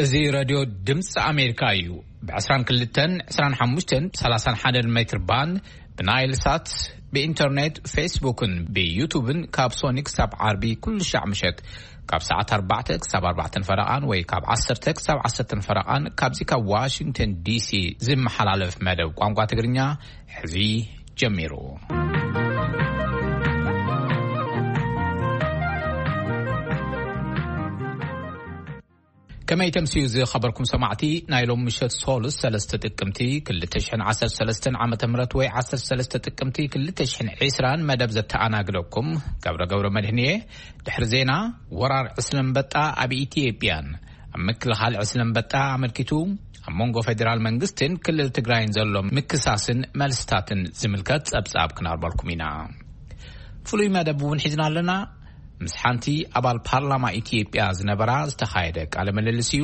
እዚ ሬድዮ ድምፂ ኣሜሪካ እዩ። ብ22፣ 25፣ 31 ሜትር ባንድ፣ ብናይል ሳት፣ ብኢንተርኔት፣ ፌስቡክን ብዩቱብን ካብ ሶኒ ክሳብ ዓርቢ ኩሉ ሻዕ ምሸት ካብ ሰዓት ኣርባዕተ ክሳብ ኣርባዕተን ፈረቓን ወይ ካብ ዓሰርተ ክሳብ ዓሰርተን ፈረቓን ካብዚ ካብ ዋሽንግተን ዲሲ ዝመሓላለፍ መደብ ቋንቋ ትግርኛ ሕዚ ጀሚሩ። ከመይ ተምስዩ ዝኸበርኩም ሰማዕቲ፣ ናይ ሎም ምሸት ሶሉስ ሰለስተ ጥቅምቲ ክልተ ሽሕን ዓሰርተ ሰለስተን ዓመተ ምህረት ወይ ዓሰርተ ሰለስተ ጥቅምቲ ክልተ ሽሕን ዕስራን መደብ ዘተኣናግደኩም ገብረ ገብረ መድህን እየ። ድሕሪ ዜና፣ ወራር ዕስለ ኣንበጣ ኣብ ኢትዮጵያን ኣብ ምክልኻል ዕስለ ኣንበጣ ኣመልኪቱ ኣብ መንጎ ፌዴራል መንግስትን ክልል ትግራይን ዘሎ ምክሳስን መልስታትን ዝምልከት ጸብጻብ ክናርበልኩም ኢና። ፍሉይ መደብ እውን ሒዝና ኣለና። ምስ ሓንቲ ኣባል ፓርላማ ኢትዮጵያ ዝነበራ ዝተኻየደ ቃለ ምልልስ እዩ።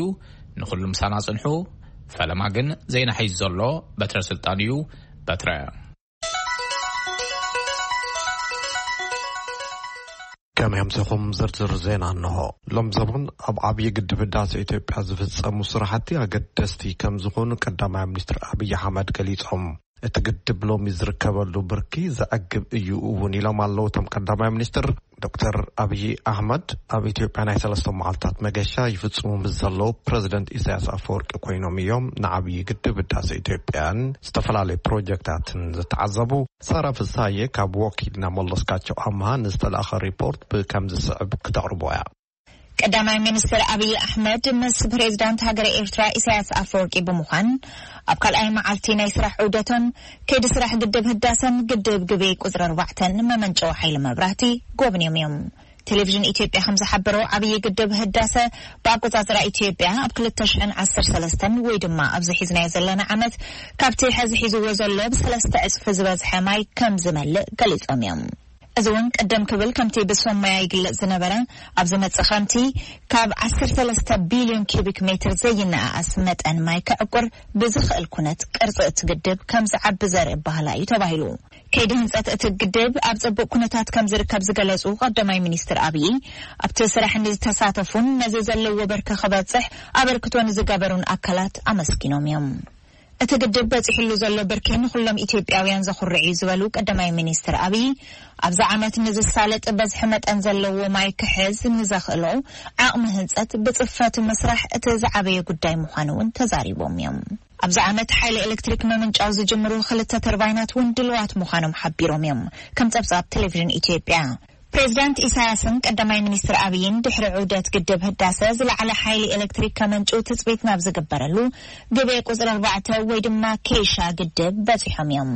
ንኹሉ ምሳና ጽንሑ። ፈለማ ግን ዜና ሒዙ ዘሎ በትረ ስልጣን እዩ። በትረ። ከመይ ኣምሲኹም? ዝርዝር ዜና እንሆ። ሎም ዘበን ኣብ ዓብዪ ግድብ ህዳሴ ኢትዮጵያ ዝፍጸሙ ስራሕቲ ኣገደስቲ ከም ዝኾኑ ቀዳማይ ሚኒስትር ኣብይ ኣሕመድ ገሊጾም። እቲ ግድብ ሎሚ ዝርከበሉ ብርኪ ዘዕግብ እዩ እውን ኢሎም ኣለዉ እቶም ቀዳማይ ሚኒስትር። ዶክተር ኣብይ ኣሕመድ ኣብ ኢትዮጵያ ናይ ሰለስተ መዓልታት መገሻ ይፍጽሙ ምስ ዘለዉ ፕረዚደንት ኢሳያስ ኣፈወርቂ ኮይኖም እዮም ንዓብዪ ግድብ ህዳሴ ኢትዮጵያን ዝተፈላለዩ ፕሮጀክታትን ዝተዓዘቡ። ሳራ ፍሳዬ ካብ ወኪልና መለስካቸው ኣምሃ ንዝተላእኸ ሪፖርት ብከምዚ ዝስዕብ ክተቕርቦ እያ። ቀዳማይ ሚኒስትር ኣብይ ኣሕመድ ምስ ፕሬዝዳንት ሃገረ ኤርትራ ኢሳያስ ኣፈወርቂ ብምዃን ኣብ ካልኣይ መዓልቲ ናይ ስራሕ ዑደቶም ከይዲ ስራሕ ግድብ ህዳሰን ግድብ ግቤ ቁፅሪ ኣርባዕተን መመንጨዊ ሓይሊ መብራህቲ ጎብንዮም እዮም። ቴሌቪዥን ኢትዮጵያ ከም ዝሓበሮ፣ ዓብዪ ግድብ ህዳሰ ብኣቆጻጽራ ኢትዮጵያ ኣብ ክልተ ሽሕን ዓሰርተ ሰለስተን ወይ ድማ ኣብዚ ሒዝናዮ ዘለና ዓመት ካብቲ ሐዚ ሒዝዎ ዘሎ ብሰለስተ ዕጽፊ ዝበዝሐ ማይ ከም ዝመልእ ገሊጾም እዮም። እዚ እውን ቅድም ክብል ከምቲ ብሰብ ሞያ ይግለጽ ዝነበረ፣ ኣብ ዝመጽእ ክረምቲ ካብ ዓሰርተ ሰለስተ ቢልዮን ኪዩቢክ ሜትር ዘይነኣኣስ መጠን ማይ ከዕቁር ብዝኽእል ኩነት ቅርጺ እቲ ግድብ ከም ዝዓቢ ዘርኢ ባህላ እዩ ተባሂሉ። ከይዲ ህንጸት እቲ ግድብ ኣብ ጽቡቕ ኩነታት ከም ዝርከብ ዝገለጹ ቀዳማይ ሚኒስትር ኣብዪ፣ ኣብቲ ስራሕ ንዝተሳተፉን ነዚ ዘለዎ ብርኪ ክበጽሕ ኣበርክቶ ንዝገበሩን ኣካላት ኣመስጊኖም እዮም። እቲ ግድብ በጺሕሉ ዘሎ ብርኪ ንኹሎም ኢትዮጵያውያን ዘኹርዕ እዩ ዝበሉ ቀዳማይ ሚኒስትር ኣብዪ፣ ኣብዚ ዓመት ንዝሳለጥ በዝሒ መጠን ዘለዎ ማይ ክሕዝ ንዘኽእሎ ዓቕሚ ህንጸት ብጽፈት ምስራሕ እቲ ዝዓበየ ጉዳይ ምዃኑ እውን ተዛሪቦም እዮም። ኣብዚ ዓመት ሓይሊ ኤሌክትሪክ ምምንጫው ዝጅምሩ ክልተ ተርባይናት እውን ድልዋት ምዃኖም ሓቢሮም እዮም። ከም ጸብጻብ ቴሌቪዥን ኢትዮጵያ፣ ፕሬዚዳንት ኢሳያስን ቀዳማይ ሚኒስትር ኣብይን ድሕሪ ዑደት ግድብ ህዳሰ ዝለዓለ ሓይሊ ኤሌክትሪክ ከመንጩ ትጽቢት ናብ ዝግበረሉ ግቤ ቁጽሪ ኣርባዕተ ወይ ድማ ኬሻ ግድብ በጺሖም እዮም።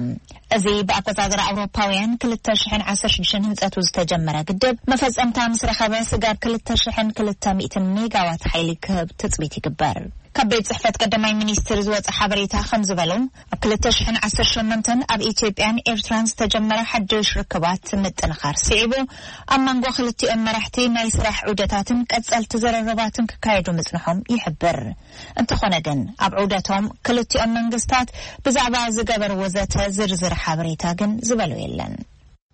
እዚ ብኣቆጻጽራ ኣውሮፓውያን ክልተ ሽሕን ዓሰርተ ሽዱሽተን ህንጸቱ ዝተጀመረ ግድብ መፈጸምታ ምስ ረኸበ ስጋብ ክልተ ሽሕን ክልተ ሚእትን ሜጋዋት ሓይሊ ክህብ ትጽቢት ይግበር። ካብ ቤት ጽሕፈት ቀዳማይ ሚኒስትር ዝወጸ ሓበሬታ ከም ዝበሎ፣ ኣብ ክልተ ሽሕን ዓሰርተ ሸሞንተን ኣብ ኢትዮጵያን ኤርትራን ዝተጀመረ ሓድሽ ርክባት ምጥንኻር ስዒቡ፣ ኣብ መንጎ ክልቲኦም መራሕቲ ናይ ስራሕ ዑደታትን ቀጸልቲ ዘረረባትን ክካየዱ ምጽንሖም ይሕብር። እንተኾነ ግን፣ ኣብ ዑደቶም ክልቲኦም መንግስታት ብዛዕባ ዝገበርዎ ዘተ ዝርዝር ሓበሬታ ግን ዝበሎ የለን።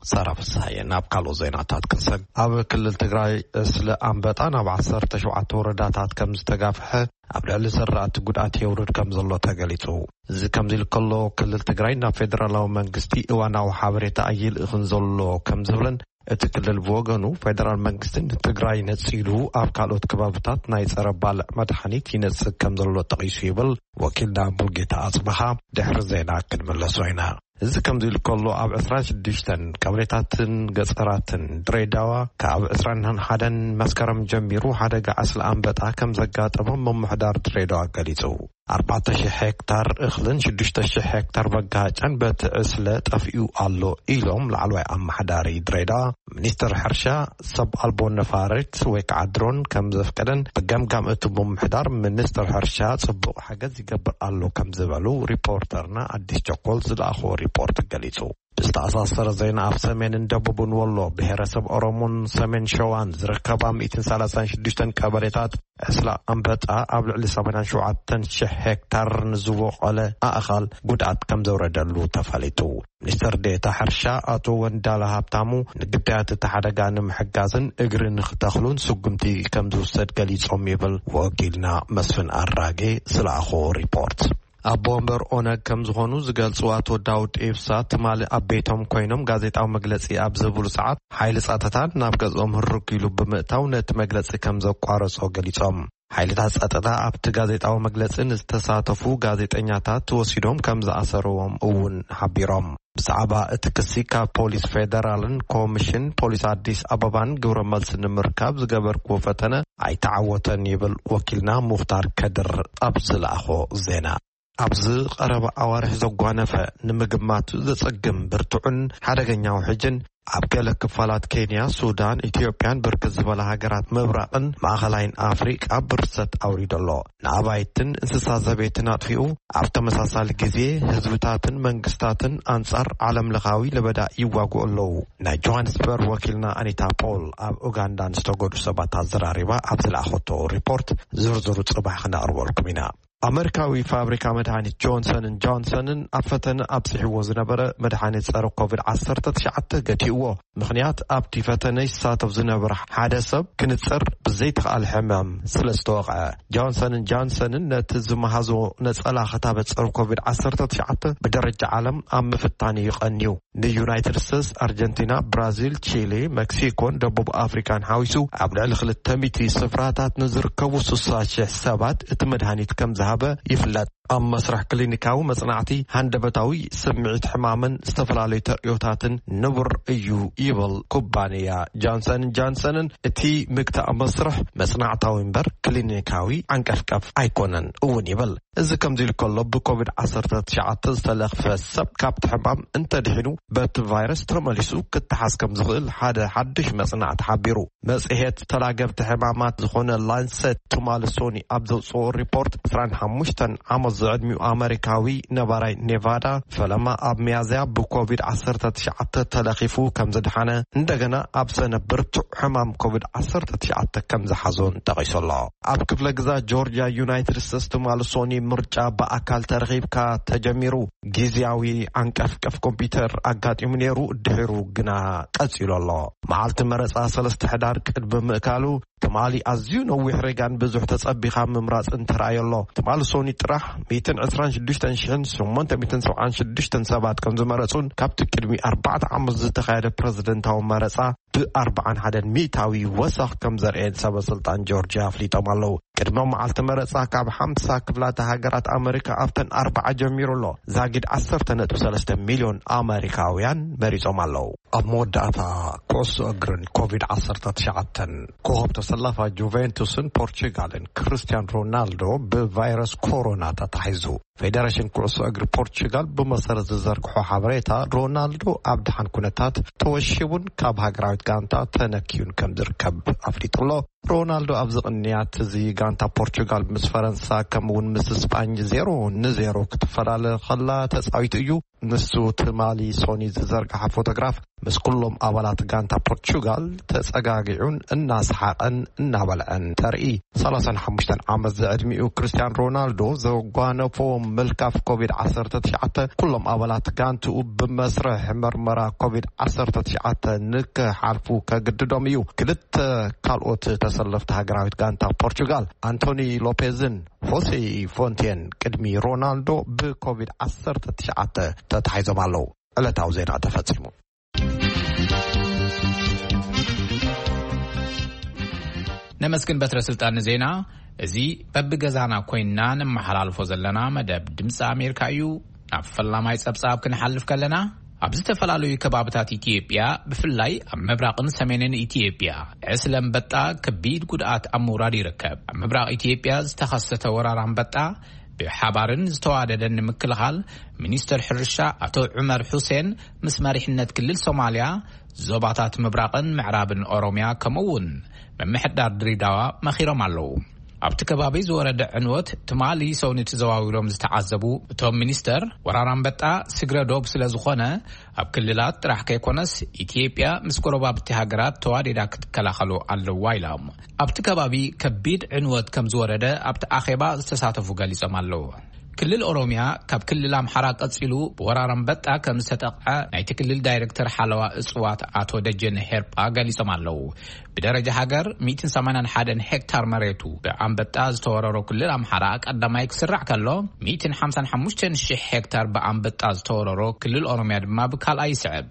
ሰራ ፍስሃየ። ናብ ካልኦት ዜናታት ክንሰግ። ኣብ ክልል ትግራይ ዕስለ ኣንበጣ ናብ ዓሰርተ ሸውዓተ ወረዳታት ከም ዝተጋፍሐ፣ ኣብ ልዕሊ ዘራእቲ ጉድኣት የውርድ ከም ዘሎ ተገሊጹ። እዚ ከምዚ ኢሉ ከሎ፣ ክልል ትግራይ ናብ ፌደራላዊ መንግስቲ እዋናዊ ሓበሬታ ኣይልእኽን ዘሎ ከም ዝብልን፣ እቲ ክልል ብወገኑ ፌደራል መንግስቲ ንትግራይ ነጺሉ ኣብ ካልኦት ከባብታት ናይ ጸረ ባልዕ መድሓኒት ይነጽግ ከም ዘሎ ጠቒሱ ይብል ወኪልና ሙልጌታ ኣጽበሃ ድሕሪ ዜና ክንምለሶ ኢና። እዚ ከምዚ ኢሉ ከሎ፣ ኣብ ዕስራን ሽዱሽተን ቀበሌታትን ገጸራትን ድሬዳዋ ካብ ዕስራን ሓደን መስከረም ጀሚሩ ሓደጋ ዕስለ ኣንበጣ ከም ዘጋጠሞም ምምሕዳር ድሬዳዋ ገሊጹ። ኣርባዕተ ሺሕ ሄክታር እኽልን ሽዱሽተ ሺሕ ሄክታር መጋሃጫን በቲ ዕስለ ጠፊኡ ኣሎ ኢሎም ላዕለዋይ ኣመሓዳሪ ድሬዳዋ። ሚኒስትር ሕርሻ ሰብ ኣልቦ ነፋሪት ወይ ከዓ ድሮን ከም ዘፍቀደን ብገምጋም እቲ ምምሕዳር ሚኒስትር ሕርሻ ጽቡቕ ሓገዝ ይገብር ኣሎ ከም ዝበሉ ሪፖርተርና ኣዲስ ቸኮል ዝለኣኽዎ ሪፖርት ገሊጹ። ብዝተኣሳሰረ ዜና፣ ኣብ ሰሜንን ደቡብን ወሎ፣ ብሄረሰብ ኦሮሞን ሰሜን ሸዋን ዝርከባ ሚእትን ሰላሳን ሽዱሽተን ቀበሌታት ዕስለ ኣንበጣ ኣብ ልዕሊ ሰማንያን ሸውዓተን ሽሕ ሄክታር ንዝቦቖለ ኣእኻል ጉድኣት ከም ዘውረደሉ ተፈሊጡ። ሚኒስትር ዴኤታ ሕርሻ ኣቶ ወንዳለ ሃብታሙ፣ ንግዳያት እቲ ሓደጋ ንምሕጋዝን እግሪ ንክተኽሉን ስጉምቲ ከም ዝውሰድ ገሊጾም ይብል ወኪልና መስፍን ኣራጌ ዝለኣኾ ሪፖርት። ኣቦ ወንበር ኦነግ ከም ዝኾኑ ዝገልጹ ኣቶ ዳውድ ኢብሳ፣ ትማሊ ኣብ ቤቶም ኮይኖም ጋዜጣዊ መግለጺ ኣብ ዝህብሉ ሰዓት፣ ሓይሊ ጸጥታ ናብ ገዝኦም ህርግ ኢሉ ብምእታው ነቲ መግለጺ ከም ዘቋረጾ ገሊጾም። ሓይልታት ጸጥታ ኣብቲ ጋዜጣዊ መግለጺ ንዝተሳተፉ ጋዜጠኛታት ወሲዶም ከም ዝኣሰርዎም እውን ሓቢሮም። ብዛዕባ እቲ ክሲ ካብ ፖሊስ ፌደራልን ኮሚሽን ፖሊስ ኣዲስ ኣበባን ግብረ መልሲ ንምርካብ ዝገበርክዎ ፈተነ ኣይተዓወተን ይብል ወኪልና ሙኽታር ከድር ኣብ ዝለኣኾ ዜና። ኣብዚ ቀረባ ኣዋርሕ ዘጓነፈ፣ ንምግማቱ ዘጸግም ብርቱዕን ሓደገኛ ውሕጅን ኣብ ገለ ክፋላት ኬንያ፣ ሱዳን፣ ኢትዮጵያን ብርክት ዝበላ ሃገራት ምብራቕን ማእኸላይን ኣፍሪቃ ብርሰት ኣውሪዱ ኣሎ። ንኣባይትን እንስሳ ዘቤትን ኣጥፊኡ፣ ኣብ ተመሳሳሊ ግዜ ህዝብታትን መንግስታትን ኣንጻር ዓለምለኻዊ ለበዳ ይዋግኡ ኣለዉ። ናይ ጆሃንስበርግ ወኪልና ኣኒታ ፖል ኣብ ኡጋንዳ ንዝተጎዱ ሰባት ኣዘራሪባ ኣብ ዝለኣኸቶ ሪፖርት ዝርዝሩ ጽባሕ ክነቕርበልኩም ኢና። ኣመሪካዊ ፋብሪካ መድሃኒት ጆንሰንን ጆንሰንን ኣብ ፈተነ ኣብጺሕዎ ዝነበረ መድሃኒት ጸረ ኮቪድ ዓሰርተ ትሽዓተ ገቲእዎ። ምኽንያት፣ ኣብቲ ፈተነ ይሳተፍ ዝነበረ ሓደ ሰብ ክንጽር ብዘይተኻእለ ሕማም ስለ ዝተወቕዐ። ጆንሰንን ጆንሰንን ነቲ ዝመሃዞ ነጸላ ክታበት ጸረ ኮቪድ ዓሰርተ ትሽዓተ ብደረጃ ዓለም ኣብ ምፍታን እዩ ቀንዩ። ንዩናይትድ ስቴትስ፣ ኣርጀንቲና፣ ብራዚል፣ ቺሊ፣ መክሲኮን ደቡብ ኣፍሪካን ሓዊሱ ኣብ ልዕሊ ክልተ ሚእቲ ስፍራታት ንዝርከቡ ስሳ ሽሕ ሰባት እቲ መድሃኒት ከም ዝሃበ ይፍለጥ። ኣብ መስርሕ ክሊኒካዊ መጽናዕቲ፣ ሃንደበታዊ ስምዒት ሕማምን ዝተፈላለዩ ተርእዮታትን ንቡር እዩ ይብል ኩባንያ ጃንሰን ጃንሰንን። እቲ ምግታእ መስርሕ መጽናዕታዊ እምበር ክሊኒካዊ ዓንቀፍቀፍ ኣይኮነን እውን ይብል። እዚ ከምዚ ኢሉ ከሎ፣ ብኮቪድ ዓሰርተ ትሽዓተ ዝተለኽፈ ሰብ ካብቲ ሕማም እንተድሒኑ፣ በቲ ቫይረስ ተመሊሱ ክተሓዝ ከም ዝኽእል ሓደ ሓድሽ መጽናዕቲ ሓቢሩ። መጽሔት ተላገብቲ ሕማማት ዝኾነ ላንሰት ትማሊ ሶኒ ኣብ ዘውጽኦ ሪፖርት፣ ዕስራን ሓሙሽተን ዓመት ዝዕድሚኡ ኣመሪካዊ ነባራይ ኔቫዳ፣ ፈለማ ኣብ ሚያዝያ ብኮቪድ ዓሰርተ ትሽዓተ ተለኺፉ ከም ዝደሓነ፣ እንደገና ኣብ ሰነ ብርቱዕ ሕማም ኮቪድ ዓሰርተ ትሽዓተ ከም ዝሓዞን ጠቒሱ ኣሎ። ኣብ ክፍለ ግዛት ጆርጅያ ዩናይትድ ስቴትስ ትማሊ ሶኒ ምርጫ ብኣካል ተረኺብካ ተጀሚሩ። ግዝያዊ ዓንቀፍቀፍ ኮምፒውተር ኣጋጢሙ ነይሩ፣ ድሒሩ ግና ቀጺሉ ኣሎ። መዓልቲ መረጻ ሰለስተ ሕዳር ቅድሚ ምእካሉ፣ ትማሊ ኣዝዩ ነዊሕ ሬጋን ብዙሕ ተጸቢኻ ምምራጽን ተራእዮ ኣሎ። ትማሊ ሶኒ ጥራሕ ሚእትን ዕስራን ሽዱሽተን ሽሕን ሸሞንተ ሚእትን ሰብዓን ሽዱሽተን ሰባት ከም ዝመረጹን፣ ካብቲ ቅድሚ ኣርባዕተ ዓመት ዝተኻየደ ፕረዚደንታዊ መረጻ ብኣርባዓን ሓደን ሚእታዊ ወሰኽ ከም ዘርእየን ሰበ ስልጣን ጆርጅያ ኣፍሊጦም ኣለዉ። ቅድመ መዓልቲ መረጻ ካብ ሓምሳ ክፍላተ ሃገራት ኣመሪካ ኣብተን ኣርባዓ ጀሚሩ ኣሎ። ዛጊድ ዓሰርተ ነጥቢ ሰለስተ ሚልዮን ኣመሪካውያን መሪጾም ኣለዉ። ኣብ መወዳእታ፣ ኩዕሶ እግርን ኮቪድ ዓሰርተ ትሽዓተን። ኮኸብ ተሰላፋ ጁቬንቱስን ፖርቹጋልን ክርስቲያን ሮናልዶ ብቫይረስ ኮሮና ተታሒዙ። ፌደሬሽን ኩዕሶ እግሪ ፖርቹጋል ብመሰረት ዝዘርግሖ ሓበሬታ፣ ሮናልዶ ኣብ ደሓን ኩነታት ተወሺቡን ካብ ሃገራዊት ጋንታ ተነኪዩን ከም ዝርከብ ኣፍሊጡ ኣሎ። ሮናልዶ ኣብዚ ቅንያት እዚ ጋንታ ፖርቹጋል ምስ ፈረንሳ፣ ከምኡ እውን ምስ ስጳኝ ዜሮ ንዜሮ ክትፈላለ ከላ ተጻዊቱ እዩ። ንሱ ትማሊ ሶኒ ዝዘርግሓ ፎቶግራፍ ምስ ኩሎም ኣባላት ጋንታ ፖርቹጋል ተጸጋጊዑን እናሰሓቐን እናበልዐን ተርኢ። ሰላሳን ሓሙሽተን ዓመት ዝዕድሚኡ ክርስቲያን ሮናልዶ ዘጓነፎ ምልካፍ ኮቪድ ዓሰርተ ትሽዓተ፣ ኩሎም ኣባላት ጋንትኡ ብመስርሕ መርመራ ኮቪድ ዓሰርተ ትሽዓተ ንክሓልፉ ከግድዶም እዩ። ክልተ ካልኦት ተሰለፍቲ ሃገራዊት ጋንታ ፖርቹጋል፣ ኣንቶኒ ሎፔዝን ሆሴ ፎንቴን፣ ቅድሚ ሮናልዶ ብኮቪድ ዓሰርተ ትሽዓተ ተታሒዞም ኣለዉ። ዕለታዊ ዜና ተፈጺሙ። ነመስግን በትረ ስልጣን ንዜና። እዚ በብገዛና ኮይንና ነመሓላልፎ ዘለና መደብ ድምፂ ኣሜሪካ እዩ። ናብ ፈላማይ ጸብጻብ ክንሓልፍ ከለና፣ ኣብ ዝተፈላለዩ ከባብታት ኢትዮጵያ፣ ብፍላይ ኣብ ምብራቕን ሰሜንን ኢትዮጵያ፣ ዕስለ ኣንበጣ ከቢድ ጉድኣት ኣብ ምውራድ ይርከብ። ኣብ ምብራቕ ኢትዮጵያ ዝተኸሰተ ወራር ኣንበጣ ብሓባርን ዝተዋደደን ንምክልኻል፣ ሚኒስተር ሕርሻ ኣቶ ዑመር ሑሴን ምስ መሪሕነት ክልል ሶማልያ፣ ዞባታት ምብራቕን ምዕራብን ኦሮምያ፣ ከምኡ እውን ምምሕዳር ድሬዳዋ መኺሮም ኣለዉ። ኣብቲ ከባቢ ዝወረደ ዕንወት ትማሊ ሰውኒ ተዘዋዊሮም ዝተዓዘቡ እቶም ሚኒስተር፣ ወራር ኣንበጣ ስግረ ዶብ ስለ ዝኾነ፣ ኣብ ክልላት ጥራሕ ከይኮነስ፣ ኢትዮጵያ ምስ ጎረባብቲ ሃገራት ተዋዲዳ ክትከላኸሎ ኣለዋ ኢሎም። ኣብቲ ከባቢ ከቢድ ዕንወት ከም ዝወረደ ኣብቲ ኣኼባ ዝተሳተፉ ገሊጾም ኣለዉ። ክልል ኦሮሚያ ካብ ክልል ኣምሓራ ቀጺሉ ብወራር ኣንበጣ ከም ዝተጠቕዐ ናይቲ ክልል ዳይሬክተር ሓለዋ እጽዋት ኣቶ ደጀነ ሄርጳ ገሊጾም ኣለዉ። ብደረጃ ሃገር ሚእትን ሰማንያን ሓደን ሄክታር መሬቱ ብኣንበጣ ዝተወረሮ ክልል ኣምሓራ ቀዳማይ ክስራዕ ከሎ፣ ሚእትን ሓምሳን ሓሙሽተን ሽሕ ሄክታር ብኣንበጣ ዝተወረሮ ክልል ኦሮሚያ ድማ ብካልኣይ ይስዕብ።